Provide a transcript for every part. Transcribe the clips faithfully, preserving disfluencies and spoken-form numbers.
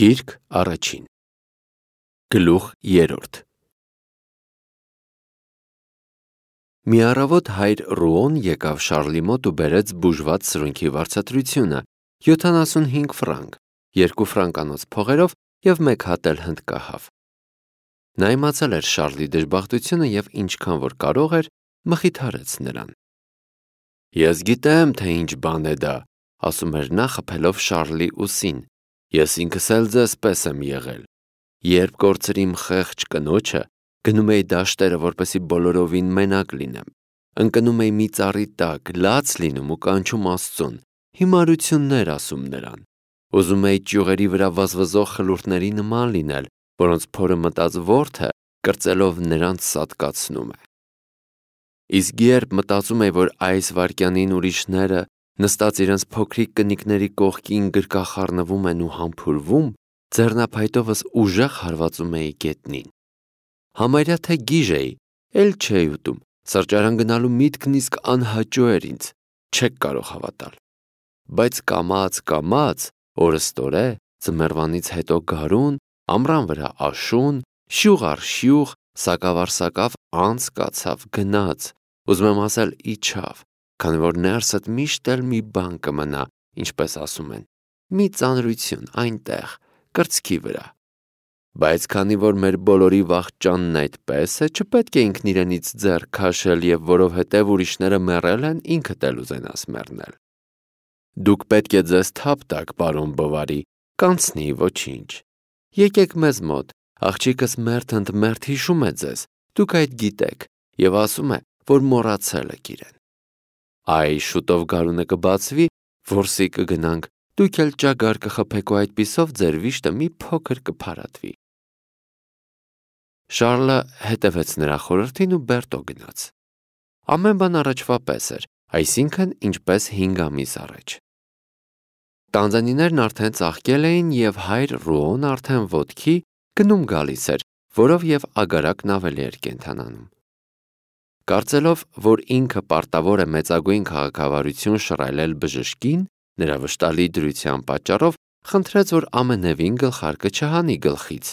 Գիրք առաջին Գլուխ երրորդ Մի առավոտ հայր Ռուոն եկավ Շարլի մոտ ու բերեց բուժված սրունքի վարձատրությունը, յոթանասունհինգ ֆրանկ, երկու ֆրանկանոց փողերով և մեկ հատ էլ հնդկահավ։ Նա իմացել էր Շարլի դժբախտությունը և ինչքան որ կարող էր, մխիթարեց նրան։ Ես գիտեմ, թե ինչ բան է դա, ասում էր նա խփելով Շարլի ուսին, ես ինքս էլ ձեզ պես եմ եղել։ Երբ կորցրի իմ խեղճ կնոջը, գնում էի դաշտերը, որպեսզի բոլորովին մենակ լինեմ։ Ընկնում էի մի ծառի տակ, լաց լինում ու կանչում Աստծուն, հիմարություններ ասում նրան։ Ուզում էի ճյուղերի վրա վազվզող խլուրտների նման լինել, որոնց փորը մտած որդը կրծելով նրանց սատկացնում է։ Իսկ երբ մտածում էի, որ այս վայրկյանին ուրիշները, նստած իրենց փոքրիկ կնիկների կողքին գրկախառնվում են ու համբուրվում, ձեռնափայտովս ուժեղ հարվածում էի գետնին։ Համարյա թե գիժ էի, էլ չէի ուտում, սրճարան գնալու միտքն իսկ անհաճո էր ինձ, չեք կարող հավատալ։ Բայց կամաց-կամաց, օրըստօրե, ձմեռվանից հետո գարուն, ամռան վրա աշուն, շյուղ առ շյուղ, սակավ առ սակավ անց կացավ, գնաց, ուզում եմ ասել իջավ, քանի որ ներսդ միշտ էլ մի բան կմնա, ինչպես ասում են, մի ծանրություն այնտեղ, կրծքի վրա։ Բայց քանի որ մեր բոլորի վախճանն այդպես է, չպետք է ինքն իրենից ձեռք քաշել և որովհետև ուրիշները մեռել են, ինքդ էլ ուզենաս մեռնել։ Դուք պետք է ձեզ թափ տաք, պարոն Բովարի, կանցնի, ոչինչ։ Եկեք մեզ մոտ, աղջիկս մերթ ընդ մերթ հիշում է ձեզ, դուք այդ գիտեք, և ասում է, որ մոռացել եք իրեն։ Այ շուտով գարունը կբացվի, որսի կգնանք, դուք էլ ճագար կխփեք ու այդպիսով ձեր վիշտը մի փոքր կփարատվի։ Շարլը հետևեց նրա խորհրդին ու Բերտո գնաց։ Ամեն բան առաջվա պես էր, այսինքն ինչպես հինգ ամիս առաջ։ Տանձանիներն արդեն ծաղկել էին և հայր Ռուոն արդեն ոտքի գնում գալիս էր, որով և ագարակն ավելի էր կենդանանում։ Կարծելով, որ ինքը պարտավոր է մեծագույն քաղաքավարություն շռայլել բժշկին, նրա վշտալի դրության պատճառով խնդրեց, որ ամենևին գլխարկը չհանի գլխից,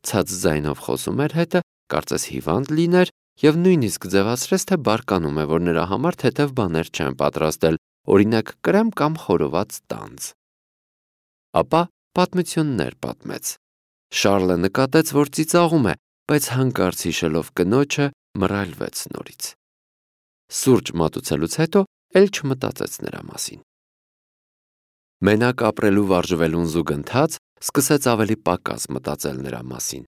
ցած ձայնով խոսում էր հետը, կարծես հիվանդ լիներ և նույնիսկ ձևացրեց, թե բարկանում է, որ նրա համար թեթև բաներ չեն պատրաստել, օրինակ կրեմ կամ խորոված տանձ։ Ապա պատմություններ պատմեց։ Շարլը նկատեց, որ ծիծաղում է, բայց հանկարծ հիշելով կնոջը, մռայլվեց նորից։ Սուրճ մատուցելուց հետո էլ չմտածեց նրա մասին։ Մենակ ապրելու վարժվելուն զուգընթաց սկսեց ավելի պակաս մտածել նրա մասին։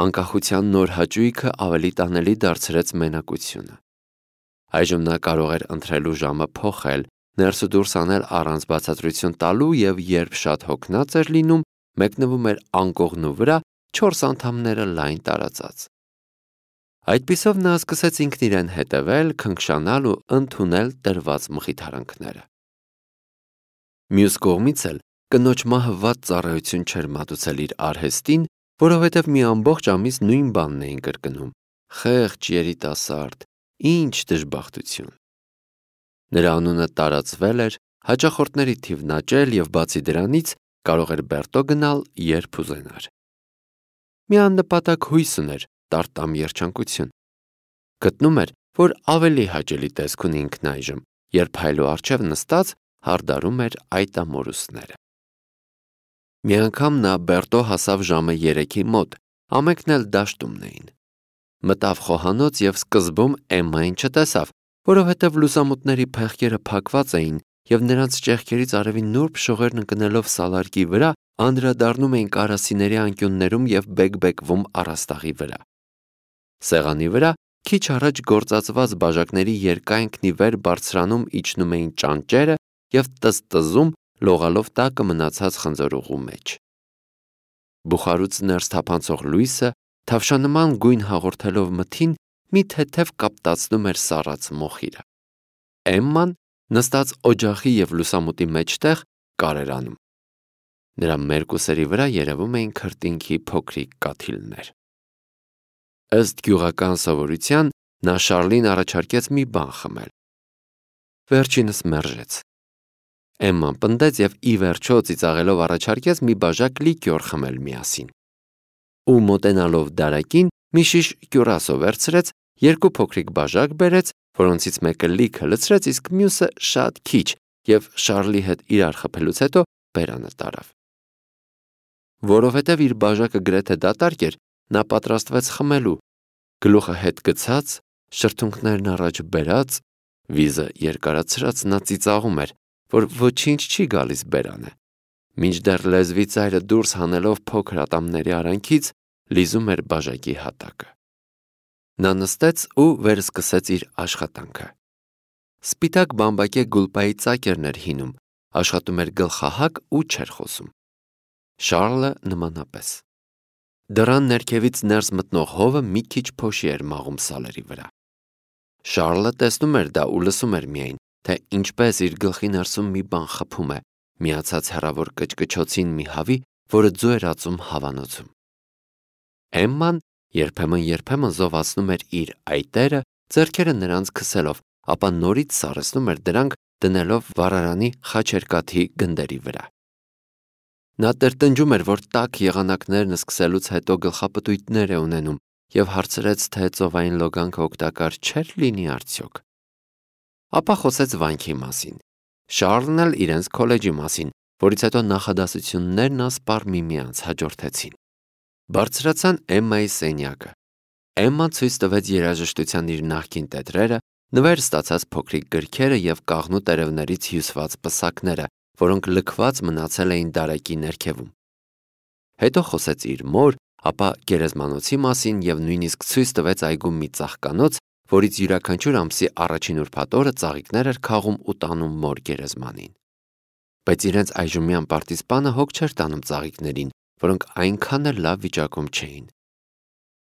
Անկախության նոր հաճույքը ավելի տանելի դարձրեց մենակությունը։ Այժմ նա կարող էր ընտրելու ժամը փոխել, ներս ու դուրս անել առանց բացատրություն տալու և երբ շատ հոգնած էր լինում, մեկնվում էր անկողնու վրա, չորս անդամները լայն տարածած։ Այդպիսով նա սկսեց ինքն իրեն հետևել, քնքշանալ ու ընդունել տրված մխիթարանքները։ Մյուս կողմից էլ կնոջ մահը վատ ծառայություն չէր մատուցել իր արհեստին, որովհետև մի ամբողջ ամիս նույն բանն էին կրկնում. խեղճ երիտասարդ, ինչ դժբախտություն։ Նրա անունը տարածվել էր, հաճախորդների թիվն աճել և բացի դրանից կարող էր Բերտո գնալ, երբ ուզենար։ Մի աննպատակ հույս ուներ, տարտամ երջանկություն։ Գտնում էր, որ ավելի հաճելի տեսք ունի ինքն այժմ, երբ հայելու առջև նստած հարդարում էր այդ ամորուսները։ Մի անգամ նա Բերտո հասավ ժամը երեքի մոտ, ամենքն էլ դաշտումն էին։ Մտավ խոհանոց և սկզբում Էմմային չտեսավ, որովհետև լուսամուտների փեղկերը փակված էին և նրանց ճեղքերից արևի նուրբ շողերն ընկնելով սալարկի վրա, անդրադառնում էին կարասիների անկյուններում և բեկ-բեկվում առաստաղի վրա։ Սեղանի վրա քիչ առաջ գործածված բաժակների երկայնքն ի վեր բարձրանում իջնում էին ճանճերը և տզտզում լողալով տակը մնացած խնձորուղու մեջ։ Բուխարուց ներս թափանցող լույսը, թավշանման գույն հաղորդելով մթին, մի թեթև կապտացնում էր սառած մոխիրը։ Էմման, նստած օջախի և լուսամուտի մեջտեղ, կար էր անում։ Նրա մերկուսերի վրա երևում էին քրտինքի փոքրիկ կաթիլներ։ Ըստ գյուղական սովորության, նա Շարլին առաջարկեց մի բան խմել։ Վերջինս մերժեց։ Էմման պնդեց և ի վերջո ծիծաղելով առաջարկեց մի բաժակ լիկյոր խմել միասին։ Ու մոտենալով դարակին մի շիշ կյուրասո վերցրեց, երկու փոքրիկ բաժակ բերեց, որոնցից մեկը լիքը լցրեց, իսկ մյուսը շատ քիչ, և Շարլի հետ իրար խփելուց հետո բերանը տարավ։ Որովհետև իր բաժակը գրեթե դատարկ էր, նա պատրաստվեց խմելու, գլուխը հետ գցած, շրթունքներն առաջ բերած, վիզը երկարացրած նա ծիծաղում էր, որ ոչինչ չի գալիս բերանը, մինչդեռ լեզվի ծայրը դուրս հանելով փոքր ատամների արանքից լիզում էր բաժակի հատակը։ Նա նստեց ու վերսկսեց իր աշխատանքը։ Սպիտակ բամբակե գուլպայի ծակերն էր հինում, աշխատում էր գլխահակ ու չէր խոսում։ Շարլը նմանապես։ Դռան ներքևից ներս մտնող հովը մի քիչ փոշի էր մաղում սալերի վրա։ Շարլը տեսնում էր դա ու լսում էր միայն, թե ինչպես իր գլխի ներսում մի բան խփում է, միացած հեռավոր կչկչոցին մի հավի, որը ձու էր ածում հավանոցում։ Էմման երբեմն-երբեմն զովացնում էր իր այտերը, ձեռքերը նրանց քսելով, ապա նորից սառեցնում էր դրանք, դնելով վառարանի խաչերկաթի գնդերի վրա։ Նա տրտնջում էր, որ տաք եղանակներն սկսելուց հետո գլխապտույտներ է ունենում, և հարցրեց, թե ծովային լոգանքը օգտակար չէր լինի արդյոք։ Ապա խոսեց վանքի մասին, Շարլն էլ իրենց քոլեջի մասին, որից հետո նախադասություններն ասպառ միմյանց հաջորդեցին։ Բարձրացան Էմմայի սենյակը։ Էմման ցույց տվեց երաժշտության իր նախկին տետրերը, նվեր ստացած փոքրիկ գրքերը և կաղնու տերևներից հյուսված պսակները, որոնք լքված մնացել էին դարակի ներքևում։ Հետո խոսեց իր մոր, ապա գերեզմանոցի մասին և նույնիսկ ցույց տվեց այգում մի ծաղկանոց, որից յուրաքանչյուր ամսի առաջին ուրբաթ օրը ծաղիկներ էր քաղում ու տանում մոր գերեզմանին։ Բայց իրենց այժմյան պարտիզպանը հոգ չէր տանում ծաղիկներին, որոնք այնքան էլ լավ վիճակում չէին։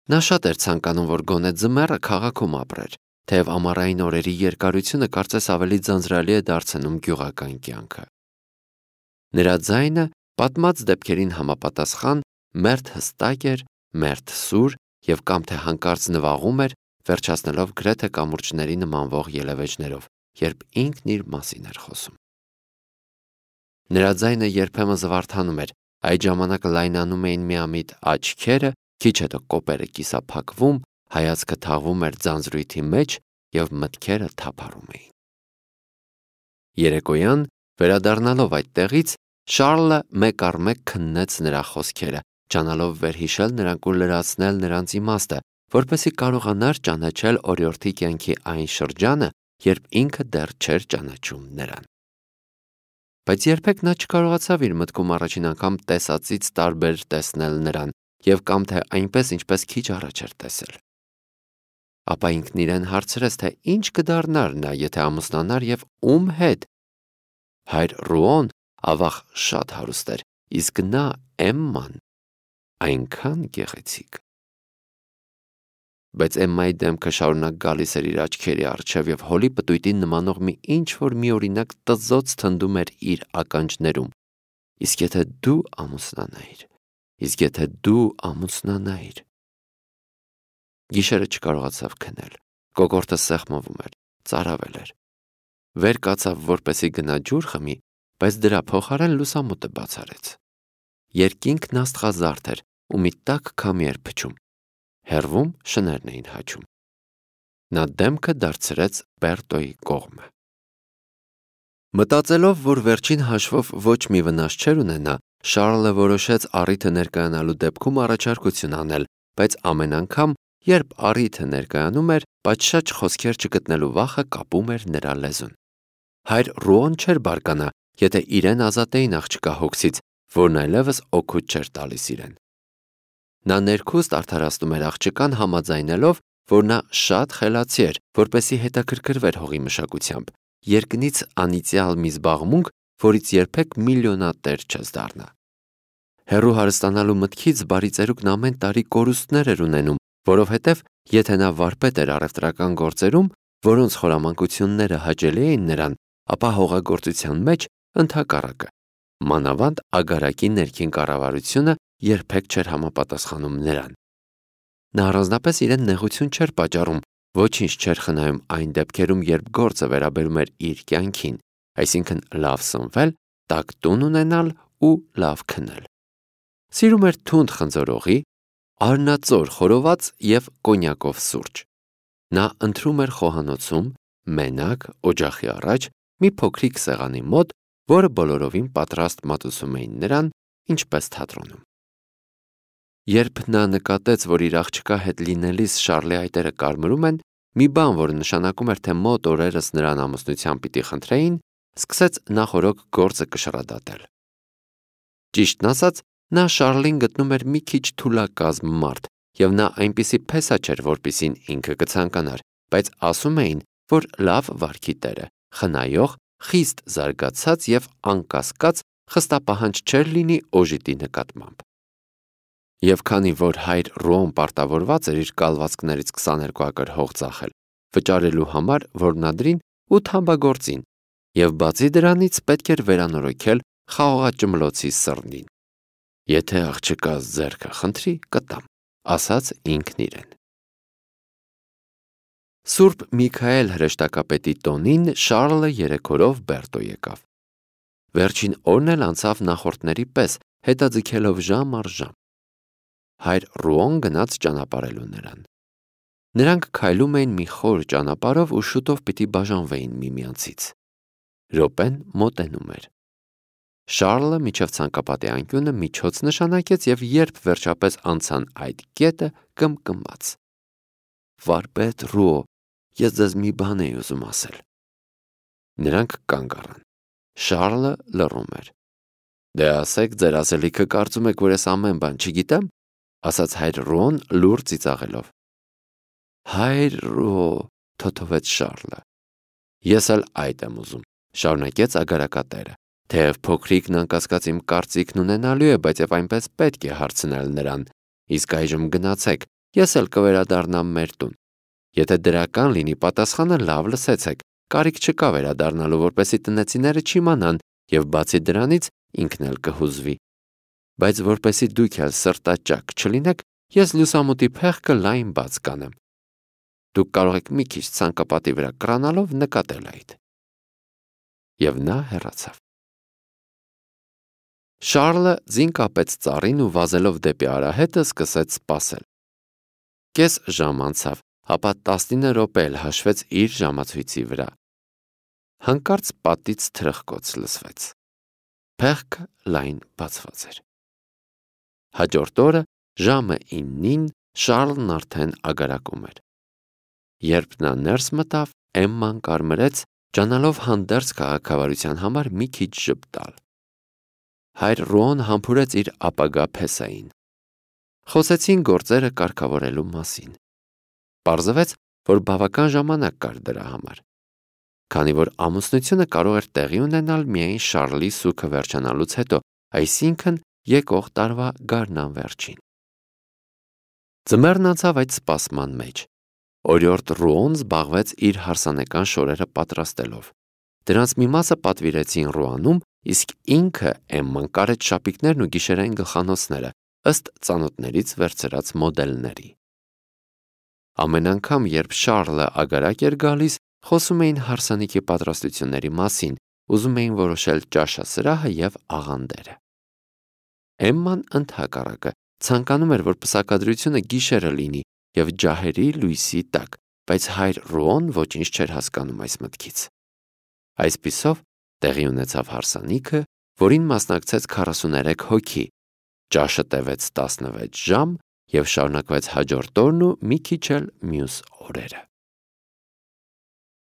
Նա շատ էր ցանկանում, որ գոնե ձմեռը քաղաքում ապրեր, թեև ամառային օրերի երկարությունը կարծես ավելի ձանձրալի է դարձնում գյուղական կյանքը։ Նրա ձայնը պատմած դեպքերին համապատասխան մերթ հստակ էր, մերթ սուր և կամ թե հանկարծ նվաղում էր, վերջացնելով գրեթե կամուրջների նմանվող ելևէջներով, երբ ինքն իր մասին էր խոսում։ Նրա ձայնը երբեմն զվարթանում էր, այդ ժամանակ լայնանում էին միամիտ աչքերը, քիչ հետո կոպերը կիսափակվում, հայացքը թաղվում էր ձանձրույթի մեջ և մտքերը թափառում էին։ Երեկոյան, վերադառնալով այդ տեղից, Շարլը մեկ առ մեկ քննեց նրա խոսքերը, ջանալով վերհիշել նրանք ու լրացնել նրանց իմաստը, որպեսզի կարողանար ճանաչել օրիորդի կյանքի այն շրջանը, երբ ինքը դեռ չէր ճանաչում նրան։ Բայց երբեք նա չկարողացավ իր մտքում առաջին անգամ տեսածից տարբեր տեսնել նրան և կամ թե այնպես, ինչպես քիչ առաջ էր տեսել։ Ապա ինքն իրեն հարցրեց, թե ինչ կդառնար նա, եթե ամուսնանար և ում հետ։ Հայր Ռուոն ավաղ շատ հարուստ էր, իսկ նա Էմման այնքան գեղեցիկ։ Բայց Էմմայի դեմքը շարունակ գալիս էր իր աչքերի առջև և հոլի պտույտին նմանող մի ինչ-որ միօրինակ տզոց թնդում էր իր ականջներում։ Իսկ եթե դու ամուսնանայիր, իսկ եթե դու ամուսնանայիր։ Գիշերը չկարողացավ քնել, կոկորդը սեղմվում էր, ծարավել էր։ Վեր կացավ, որպեսզի գնա ջուր խմի, բայց դրա փոխարեն լուսամուտը բացառեց։ Երկինքն աստղազարդ էր ու մի տաք քամի էր փչում։ Հեռվում շներն էին հաչում։ Նա դեմքը դարձրեց Բերտոյի կողմը։ Մտածելով, որ վերջին հաշվով ոչ մի վնաս չէր ունենա, Շարլը որոշեց առիթը ներկայանալու դեպքում առաջարկություն անել, բայց ամեն անգամ, երբ առիթը ներկայանում էր, պատշաճ խոսքեր չգտնելու վախը կապում էր նրա լեզուն։ Հայր Ռուոն չէր բարկանա, եթե իրեն ազատեին աղջկա հոգսից, որն այլևս օգուտ չէր տալիս իրեն։ Նա ներքուստ արդարացնում էր աղջկան համաձայնելով, որ նա շատ խելացի էր, որպեսզի հետաքրքրվեր հողի մշակությամբ, երկնից անիծյալ մի զբաղմունք, որից երբեք միլիոնատեր չես դառնա։ Հեռու հարստանալու մտքից բարիծերուկն ամեն տարի կորուստներ էր ունենում, որովհետև եթե նա վարպետ էր առևտրական գործերում, որոնց խորամանկությունները հաճելի էին նրան, ապա հողագործության մեջ ընդհակառակը, մանավանդ ագարակի ներքին կառավարությունը երբեք չէր համապատասխանում նրան։ Նա առանձնապես իրեն նեղություն չէր պատճառում, ոչինչ չէր խնայում այն դեպքերում, երբ գործը վերաբերում էր իր կյանքին, այսինքն լավ սնվել, տաք տուն ունենալ ու լավ քնել։ Սիրում էր թունդ խնձորողի, արնածոր խորոված և կոնյակով սուրճ։ Նա ընթրում էր խոհանոցում, մենակ, օջախի առաջ, մի փոքրիկ սեղանի մոտ, որը բոլորովին պատրաստ մատուցում էին նրան, ինչպես թատրոնում։ Երբ նա նկատեց, որ իր աղջկա հետ լինելիս Շառլի այտերը կարմրում են, մի բան, որը նշանակում էր, թե մոտ օրերս նրան ամուսնության պիտի խնդրեին, սկսեց նախօրոք գործը կշռադատել։ Ճիշտն ասած, նա Շառլին գտնում էր մի քիչ թուլակազմ մարդ, և նա այնպիսի փեսա չէր, որպիսին ինքը կցանկանար, բայց ասում էին, որ լավ վարքի տեր է, խնայող, խիստ զարգացած և անկասկած խստապահանջ չէր լինի օժիտի նկատմամբ։ Եվ քանի որ հայր Ռոն պարտավորված էր իր կալվածքներից քսաներկու ակր հող ծախել, վճարելու համար որմնադրին ու թամբագործին, և բացի դրանից պետք էր վերանորոգել խաղողաճմլոցի սռնին։ Եթե աղջկաս ձեռքը խնդրի, կտամ, ասաց ինքն իրեն։ Սուրբ Միքայել հրեշտակապետի տոնին Շառլը երեքորով Բերտո եկավ։ Վերջին օրն էլ անցավ նախորդների պես, հետաձգելով ժամ առ ժամ։ Հայր Ռուոն գնաց ճանապարհելու նրան։ Նրանք քայլում էին մի խոր ճանապարհով ու շուտով պիտի բաժանվեին միմյանցից։ Րոպեն մոտենում էր։ Շառլը միջև ցանկապատի անկյունը միջոց նշանակեց և երբ վերջապես անցան այդ կետը, կմկմաց. «Վարպետ Ռուո, ես ձեզ մի բան էի ուզում ասել»։ Նրանք կանգ առան։ Շառլը լռում էր։ «Դե ասեք, ձեր ասելիքը կարծում եք, որ ես ամեն բան չգիտեմ», ասաց հայր Ռուոն լուռ ծիծաղելով։ «Հայր Ռուո», թոթվեց Շառլը։ «Ես էլ այդ եմ ուզում», շարունակեց ագարակատերը, թեև փոքրիկն անկասկած իմ կարծիքն ունենալու է, բայց և այնպես պետք է հարցնել նրան, իսկ այժմ գնացեք, ես էլ կվերադառնամ մեր տուն։ Եթե դրական լինի պատասխանը, լավ լսեցեք, կարիք չկա վերադառնալու, որպեսզի տնեցիները չիմանան, և բացի դրանից ինքն էլ կհուզվի։ Բայց որպեսզի դուք էլ սրտաճաք չլինեք, ես լուսամուտի փեղկը լայն բաց կանեմ։ Դուք կարող եք մի քիչ ցանկապատի վրա կռանալով նկատել այդ։ Եվ նա հեռացավ։ Շառլը ձին կապեց ծառին ու վազելով դեպի արահետը սկսեց սպասել։ Կես ժամ անցավ, ապա տասնինը րոպե էլ հաշվեց իր ժամացույցի վրա։ Հանկարծ պատից թրխկոց լսվեց։ Փեղկը լայն բացված էր։ Հաջորդ օրը ժամը իննին Շառլն արդեն ագարակում էր։ Երբ նա ներս մտավ, Էմման կարմրեց, ջանալով հանդերձ քաղաքավարության համար մի քիչ ժպտալ։ Հայր Ռոն համբուրեց իր ապագա փեսային։ Խոսեցին գործերը կարգավորելու մասին։ Պարզվեց, որ բավական ժամանակ կար դրա համար։ Քանի որ ամուսնությունը կարող էր տեղի ունենալ միայն Շառլի սուգը վերջանալուց հետո, այսինքն եկող տարվա գարնան վերջին։ Ձմեռն անցավ այդ սպասման մեջ։ Օրիորդ Ռուոն զբաղվեց իր հարսանեկան շորերը պատրաստելով։ Դրանց մի մասը պատվիրեցին Ռուանում, իսկ ինքը Էմման կարեց շապիկներն ու գիշերային գլխանոցները, ըստ ծանոթներից վերցրած մոդելների։ Ամեն անգամ, երբ Շառլը ագարակ էր գալիս, խոսում էին հարսանիքի պատրաստությունների մասին, ուզում էին որոշել ճաշասրահը և աղանդերը։ Էմման ընդհակառակը ցանկանում էր, որ պսակադրությունը գիշերը լինի և ջահերի լույսի տակ, բայց հայր Ռուոն ոչինչ չէր հասկանում այս մտքից։ Այսպիսով տեղի ունեցավ հարսանիքը, որին մասնակցեց քառասուներեք հոգի, ճաշը տևեց տասնվեց ժամ և շարունակվեց հաջորդ օրն ու մի քիչ էլ մյուս օրերը։